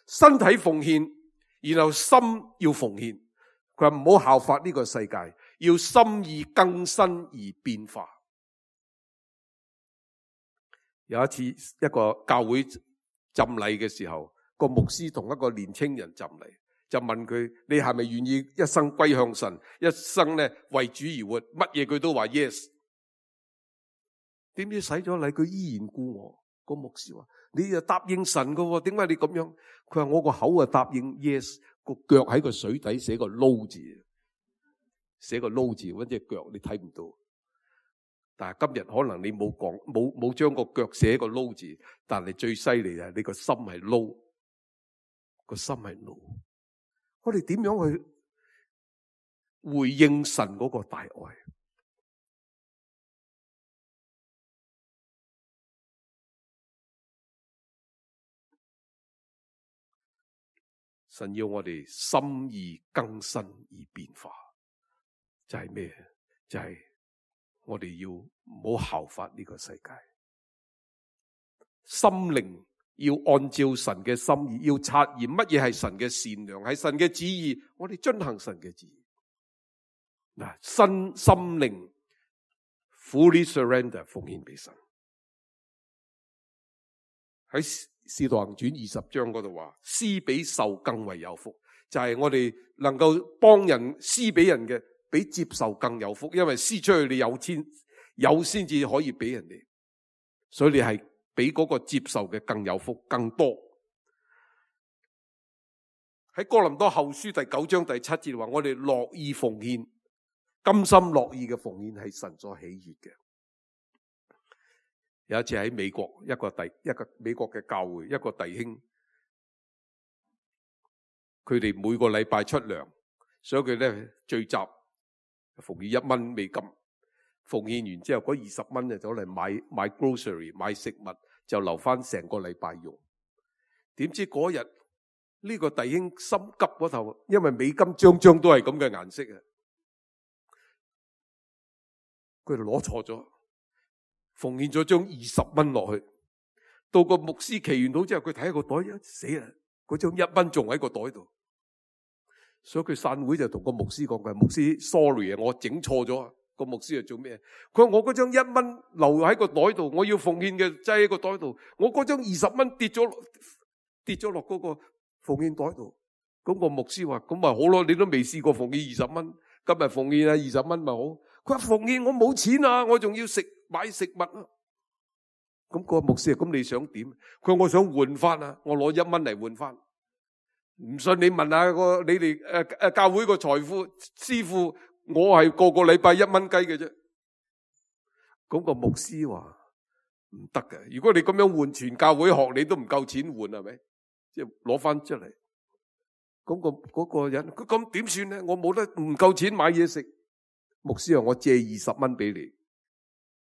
身體奉獻，然後心要奉獻。佢話唔好效法呢個世界，要心意更新而變化。有一次一個教會浸禮嘅時候，個牧師同一個年青人浸禮，就問佢：你係咪願意一生歸向神，一生咧為主而活？乜嘢佢都話 yes。點知洗咗禮佢依然故我。個牧師話：你又答應神噶，點解你咁樣？佢話：我個口啊答應 yes， 個腳喺個水底寫個撈字，寫個撈字，搵隻腳你睇唔到。但係今日可能你冇將個腳寫個撈字，但係最犀利係你個心係撈，個心係撈。我哋點樣去回應神嗰個大愛？神要我哋心意更新而變化，就係咩？就係我哋要唔好效法呢個世界，心靈要按照神嘅心意，要察驗乜嘢係神嘅善良，係神嘅旨意，我哋遵行神嘅旨意。嗱，心靈 fully surrender 奉獻俾神。喺《使徒行傳》20章嗰度話，施比受更為有福，就係我哋能夠幫人施俾人嘅，比接受更有福，因為施出去你有先至可以俾人哋，所以你係比嗰個接受嘅更有福更多。喺哥林多後書第9章第7節話，我哋樂意奉獻，甘心樂意嘅奉獻係神所喜悅嘅。有一次喺美國，一個美國嘅教會，一個弟兄，佢哋每個禮拜出糧，所以佢咧聚集奉獻1蚊美金，奉獻完之後嗰20蚊就走嚟買 grocery 買食物，就留翻成個禮拜用。點知嗰日呢個弟兄心急嗰頭，因為美金張張都係咁嘅顏色啊，佢就攞錯咗。奉獻咗張20蚊落去，到個牧師祈完禱之後，佢睇下個袋，死啦！嗰張1蚊仲喺個袋度，所以佢散會就同個牧師講：佢牧師 sorry 啊，我整錯咗。個牧師係做咩？佢話我嗰張1蚊留喺個袋度，我要奉獻嘅擠喺個袋度，我嗰張20蚊跌咗落嗰個奉獻袋度。咁個牧師話：咁咪好咯，你都未試過奉獻20蚊，今日奉獻啊20蚊咪好。佢話奉獻我冇錢啊，我仲要買食物啊。咁個牧師，咁你想點？佢話我想換翻啊，我攞1蚊嚟換翻。唔信你問下你哋教會個財富師傅，我係個禮拜1蚊雞嘅啫。咁個牧師話唔得嘅，如果你咁樣換全教會學，你都唔夠錢換，係咪？即係攞翻出嚟。咁嗰個人，佢咁點算咧？我冇得唔夠錢買嘢食。牧師話我借20蚊俾你，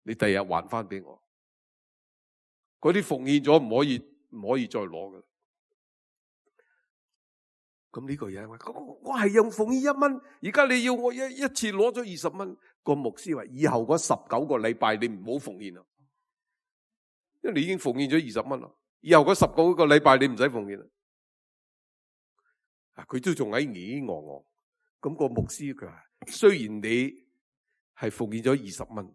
你第日還翻俾我。嗰啲奉獻咗唔可以再攞噶。咁呢個人話：我係用奉獻1蚊，而家你要我一次攞咗20蚊。個牧師話：以後嗰19個禮拜你唔好奉獻啦，因為你已經奉獻咗20蚊啦。以後嗰19個禮拜你唔使奉獻啦。佢都仲喺咿咿。咁個牧師佢話：雖然你係奉獻咗20蚊，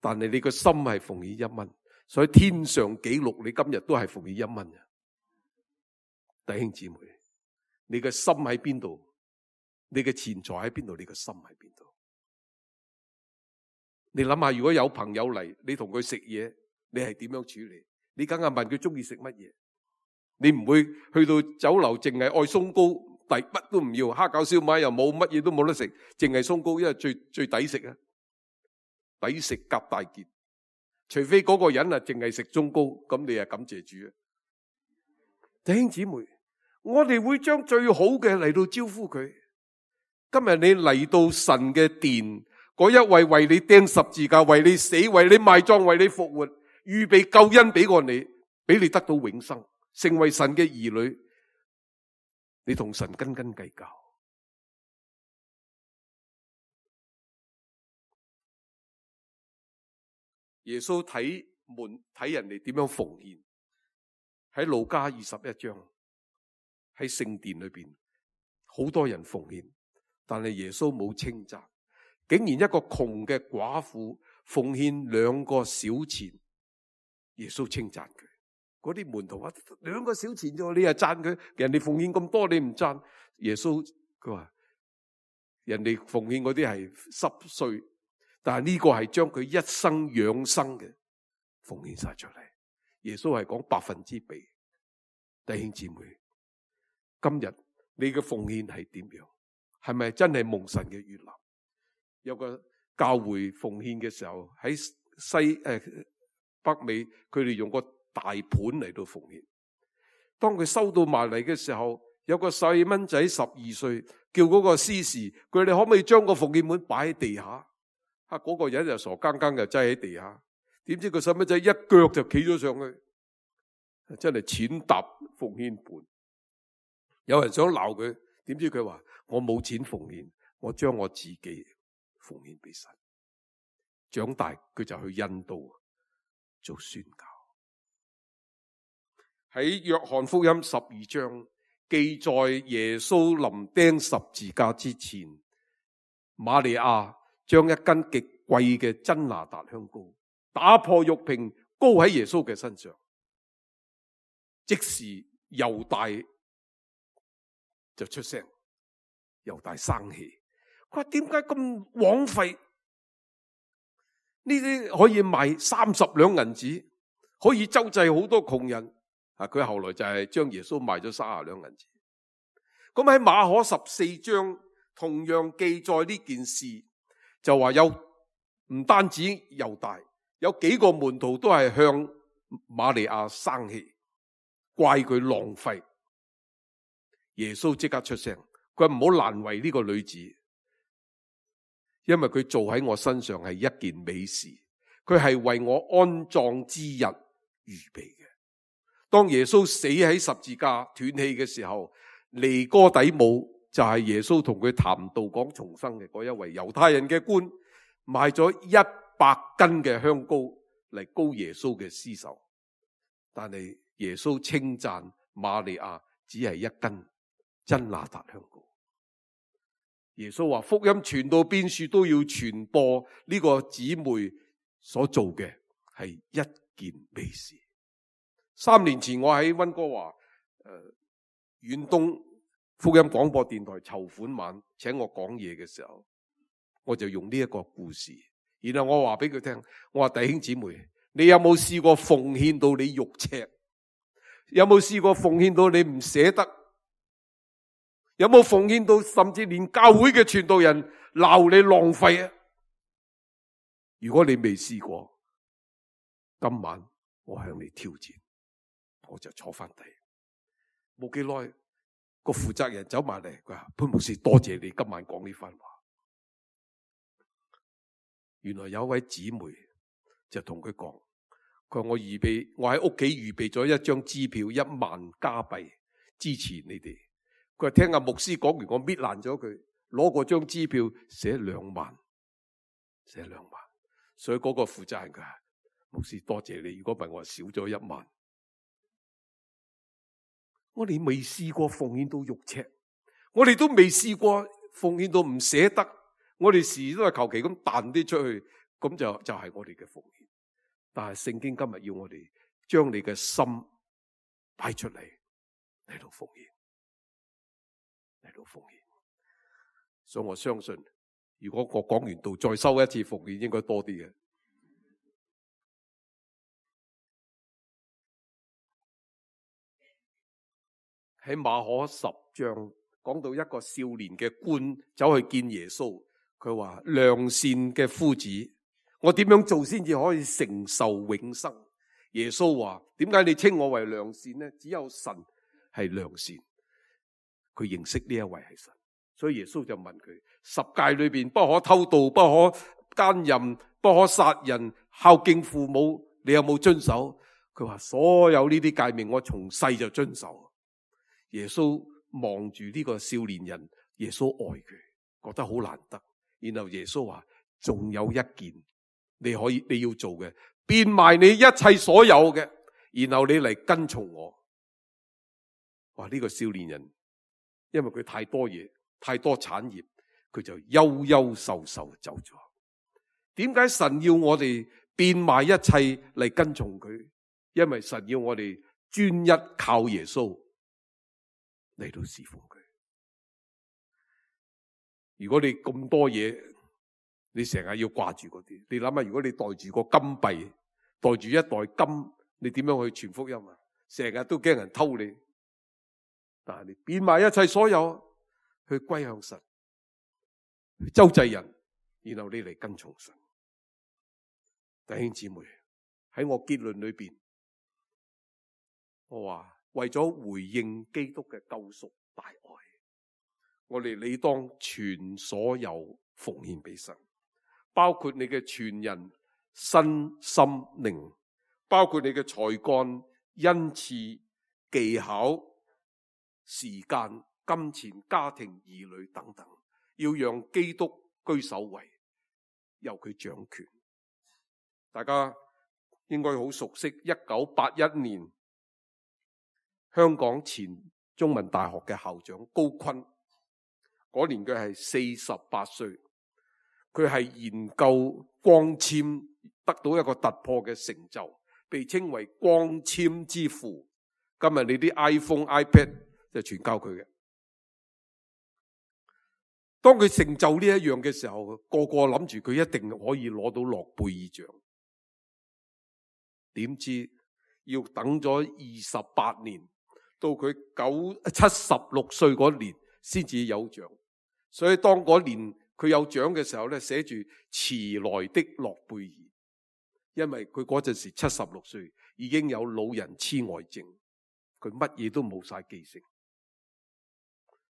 但係你個心係奉獻1蚊，所以天上記錄你今日都係奉獻1蚊。弟兄姊妹，你嘅心喺邊度？你嘅錢財喺邊度？你嘅心喺邊度？你諗下，如果有朋友嚟，你同佢食嘢，你係點樣處理？你梗係問佢中意食乜嘢？你唔會去到酒樓淨係愛鬆糕，乜都唔要，蝦餃燒賣又冇，乜嘢都冇得食，淨係鬆糕，因為最抵食啊！抵食夾大件，除非嗰個人啊淨係食中糕，咁你啊感謝主啊！弟兄姊妹，我哋會將最好嘅嚟到招呼佢。今日你嚟到神嘅殿，嗰一位為你釘十字架、為你死、為你埋葬、為你復活、預備救恩俾過你，俾你得到永生，成為神嘅兒女，你同神斤斤計較。耶穌睇人哋點樣奉獻，喺路加21章，喺聖殿裏邊，好多人奉獻，但係耶穌冇稱讚，竟然一個窮嘅寡婦奉獻2個小錢，耶穌稱讚佢。嗰啲門徒話2個小錢啫，你又讚佢？人哋奉獻咁多，你唔讚？耶穌佢話人哋奉獻嗰啲係濕碎，但係呢個係將佢一生養生嘅奉獻晒出嚟。耶穌係講100%比。弟兄姊妹，今日你嘅奉獻係點樣？係咪真係蒙神嘅悅納？有個教會奉獻嘅時候喺北美，佢哋用個大盤嚟到奉獻。當佢收到埋嚟嘅時候，有個細蚊仔12歲，叫嗰個司事，佢哋可唔可以將個奉獻盤擺喺地下？嗰個人就傻更更就擠喺地下，點知個細蚊仔一腳就企咗上去，真係踐踏奉獻盤。有人想鬧佢，點知佢話我冇錢奉獻，我將我自己奉獻俾神。長大佢就去印度做宣教。喺約翰福音12章記載耶穌臨釘十字架之前，瑪利亞將一斤極貴嘅真哪噠香膏打破玉瓶，膏喺耶穌嘅身上。即時猶大就出聲，猶大生氣，佢話點解咁枉費？呢啲可以賣30兩銀子，可以周濟好多窮人。佢後來就係將耶穌賣咗30兩銀子。咁喺馬可14章同樣記載呢件事，就話有唔單止猶大，有幾個門徒都係向瑪利亞生氣，怪佢浪費。耶穌即刻出聲，佢話唔好難為呢個女子，因為佢做喺我身上係一件美事，佢係為我安葬之日預備嘅。當耶穌死喺十字架斷氣嘅時候，尼哥底母就係耶穌同佢談道講重生嘅嗰一位猶太人嘅官，買咗100斤嘅香膏嚟膏耶穌嘅屍首。但係耶穌稱讚瑪利亞只係1斤真哪噠香膏。耶穌話福音傳到邊處都要傳播，呢個姊妹所做嘅係一件美事。3年前我喺溫哥華遠東福音廣播電台籌款晚請我講嘢嘅時候，我就用呢一個故事，然後我話俾佢聽，我話弟兄姊妹，你有冇試過奉獻到你肉赤？有冇試過奉獻到你唔捨得？有冇奉獻到甚至連教會嘅傳道人鬧你浪費啊？如果你未試過，今晚我向你挑戰。我就坐翻低，冇幾耐，個負責人走埋嚟，佢話潘牧師，多謝你今晚講呢番話。原來有一位姊妹就同佢講，佢話我喺屋企預備咗一張支票1萬加幣支持你哋。佢話聽阿牧師講完，我搣爛咗佢，攞嗰張支票寫2萬，寫2萬。所以嗰個負責人佢話牧師多謝你，如果唔係我少咗1萬。我哋未試過奉獻到肉赤，我哋都未試過奉獻到唔捨得，我哋時都係求其咁彈啲出去，咁就係我哋嘅奉獻。但係聖經今日要我哋將你嘅心擺出嚟到奉獻，嚟到奉獻。所以我相信，如果我講完道再收一次奉獻，應該多啲嘅。喺馬可10章講到一個少年嘅官走去見耶穌，佢話良善嘅夫子，我點樣做先至可以承受永生？耶穌話點解你稱我為良善呢？只有神係良善，佢認識呢一位係神，所以耶穌就問佢10誡裏邊不可偷盜、不可奸淫、不可殺人、孝敬父母，你有冇遵守？佢話所有呢啲誡命我從細就遵守。耶穌望住呢個少年人，耶穌愛佢，覺得好難得。然後耶穌話仲有一件你要做嘅，變賣你一切所有嘅，然後你嚟跟從我。哇！呢個少年人因為佢太多嘢，太多產業，佢就憂憂愁愁走咗。點解神要我哋變賣一切嚟跟從佢？因為神要我哋專一靠耶穌嚟到侍奉佢。如果你咁多嘢，你成日要掛住嗰啲，你諗下，如果你袋住個金幣，袋住一袋金，你點樣去傳福音啊？成日都驚人偷你。但係你變賣一切所有，去歸向神，去周濟人，然後你嚟跟從神。弟兄姊妹，喺我結論裏邊，我話為咗回應基督嘅救贖大愛，我哋理當全所有奉獻俾神，包括你嘅全人、身心靈，包括你嘅才幹、恩賜、技巧、時間、金錢、家庭、兒女等等，要讓基督居首位，由佢掌權。大家應該好熟悉1981年香港前中文大學嘅校長高錕，嗰年佢係48歲，佢係研究光纖得到一個突破嘅成就，被稱為光纖之父。今日你啲 iPhone、iPad 就全靠佢嘅。當佢成就呢一樣嘅時候，個個諗住佢一定可以攞到諾貝爾獎。點知要等咗28年，到佢76歲嗰年先至有獎。所以當嗰年佢有獎嘅時候咧，寫住遲來的諾貝爾，因為佢嗰陣時76歲，已經有老人痴呆症，佢乜嘢都冇晒記性。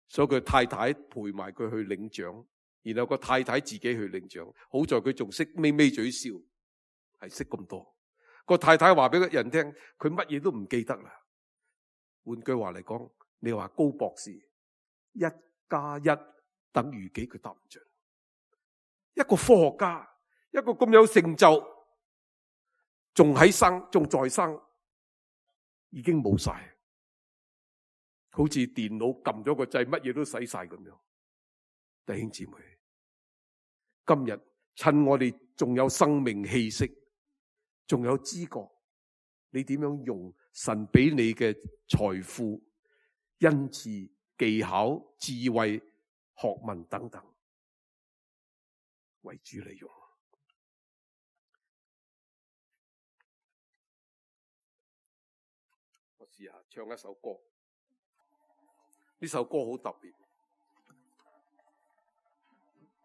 所以佢太太陪埋佢去領獎，然後個太太自己去領獎。好在佢仲識咪咪嘴笑，係識咁多。個太太話俾人聽，佢乜嘢都唔記得啦。換句話嚟講，你話高博士1+1等於幾？佢答唔準。一個科學家，一個咁有成就，仲喺生，仲在生，已經冇晒，好似電腦撳咗個掣，乜嘢都使晒咁樣。弟兄姊妹，今日趁我哋仲有生命氣息，仲有知覺，你點樣用神俾你嘅財富、恩賜、技巧、智慧、學問等等為主利用？我試下唱一首歌，呢首歌好特別。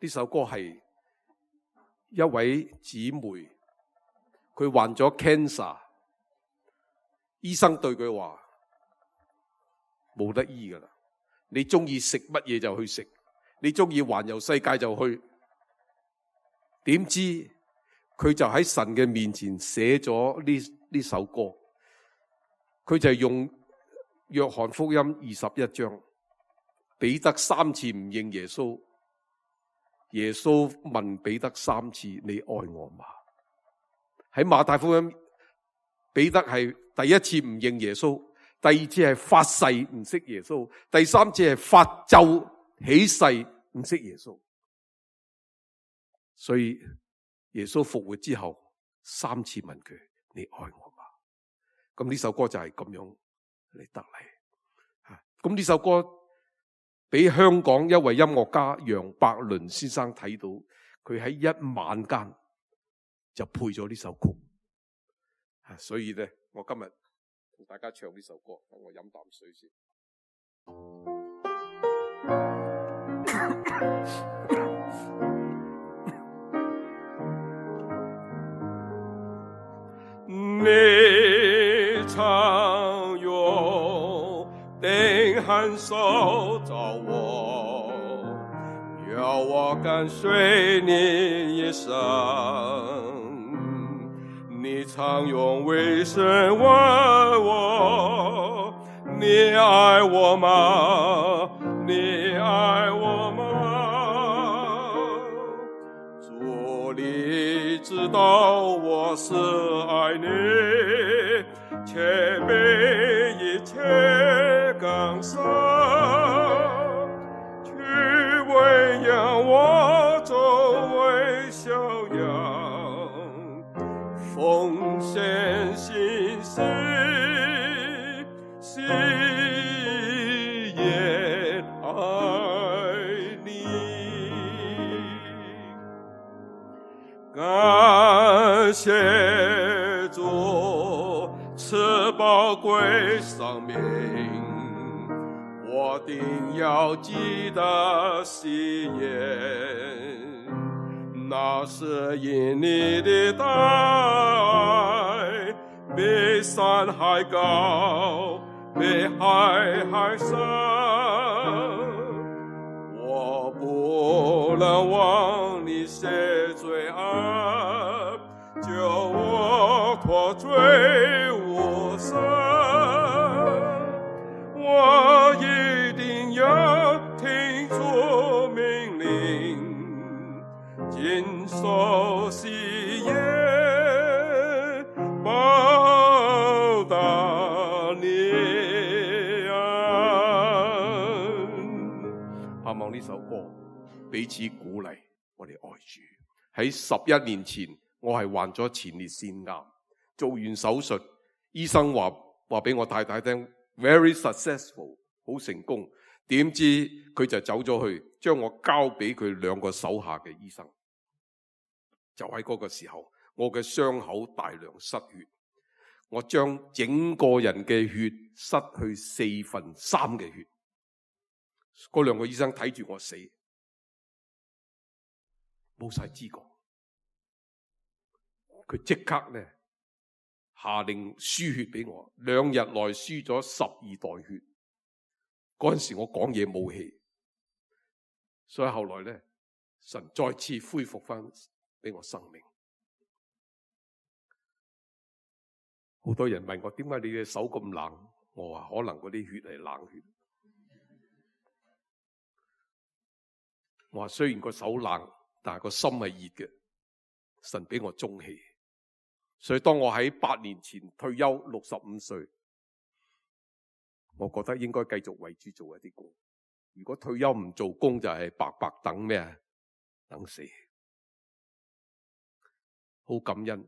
呢首歌係一位姊妹，佢患咗 cancer， 醫生對佢話冇得醫噶啦，你中意食乜嘢就去食，你中意環遊世界就去。點知佢就喺神嘅面前寫咗呢首歌，佢就用約翰福音21章，彼得3次唔認耶穌，耶穌問彼得3次：你愛我嗎？喺馬太福音，彼得係第一次唔認耶穌，第二次係發誓唔識耶穌，第三次係發咒起誓唔識耶穌。所以耶穌復活之後3次問佢：你愛我嗎？咁呢首歌就係咁樣嚟得嚟。咁呢首歌俾香港一位音樂家楊百倫先生睇到，佢喺一晚間就配咗呢首曲。所以咧，我今日同大家唱呢首歌，等我飲啖水先。你常用定hand手找我，要我跟隨你一生。你常用微声问我，你爱我吗？你爱我吗？主，你知道我是爱你，却被一切感伤，去喂养我周围小羊，奉献心思，心也爱你。感谢主赐宝贵生命，我定要记得喜悦，那是因你的大爱，比山还高，比海还深。我不能忘你赦罪恩，救我脱罪无生。我一定要听主命令，谨守誓言，报答你恩。盼望呢首歌彼此鼓勵我哋愛主。喺11年前，我係患咗前列腺癌，做完手術，醫生話俾我太太聽 ，very successful， 好成功。點知佢就走咗去，將我交俾佢2個手下嘅醫生。就喺嗰個時候，我嘅傷口大量失血，我將整個人嘅血失去3/4嘅血。嗰2個醫生睇住我死，冇晒知覺。佢即刻咧下令輸血俾我，2日內輸咗12袋血。嗰陣時我講嘢冇氣，所以後來咧神再次恢復翻俾我生命。好多人問我點解你嘅手咁冷，我話可能嗰啲血係冷血。我話雖然個手冷，但係個心係熱嘅，神俾我中氣。所以當我喺8年前退休65歲，我覺得應該繼續為主做一啲工。如果退休唔做工，就係白白等咩啊？等死。好感恩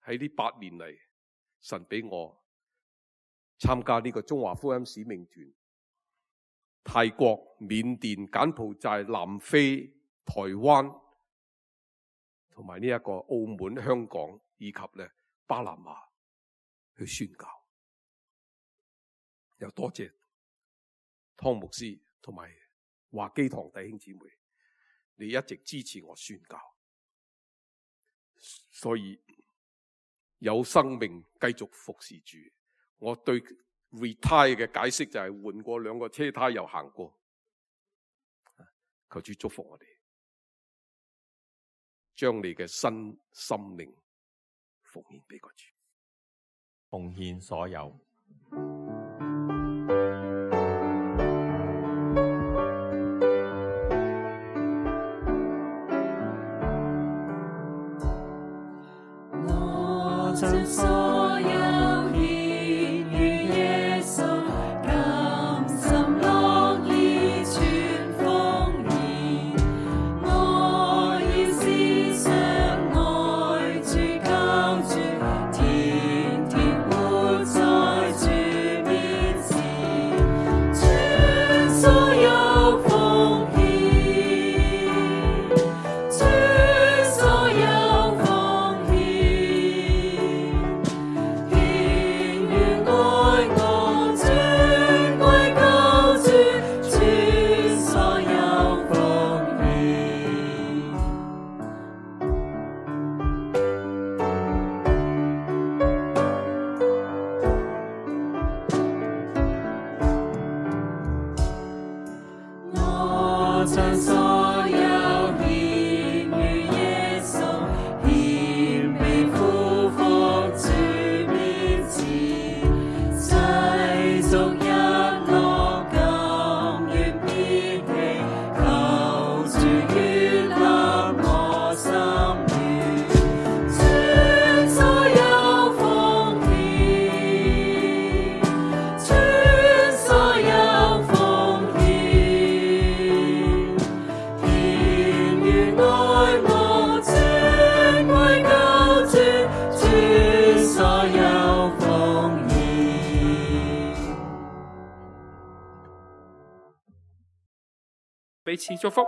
喺呢8年嚟，神俾我參加呢個中華福音使命團，泰國、緬甸、柬埔寨、南非、台灣同埋呢一個澳門、香港以及咧巴拿馬去宣教。又多謝湯牧師同埋華基堂弟兄姊妹，你一直支持我宣教，所以有生命繼續服侍主。我對 retire 嘅解釋就係換過2個車胎又行過。求主祝福我哋，將你嘅新生命奉獻俾個主，奉獻所有。我將所有獻於耶穌，甘心樂意全奉獻。我要思想愛主靠主，天天活在主面前，全所有奉獻，全所有奉獻。賜祝福。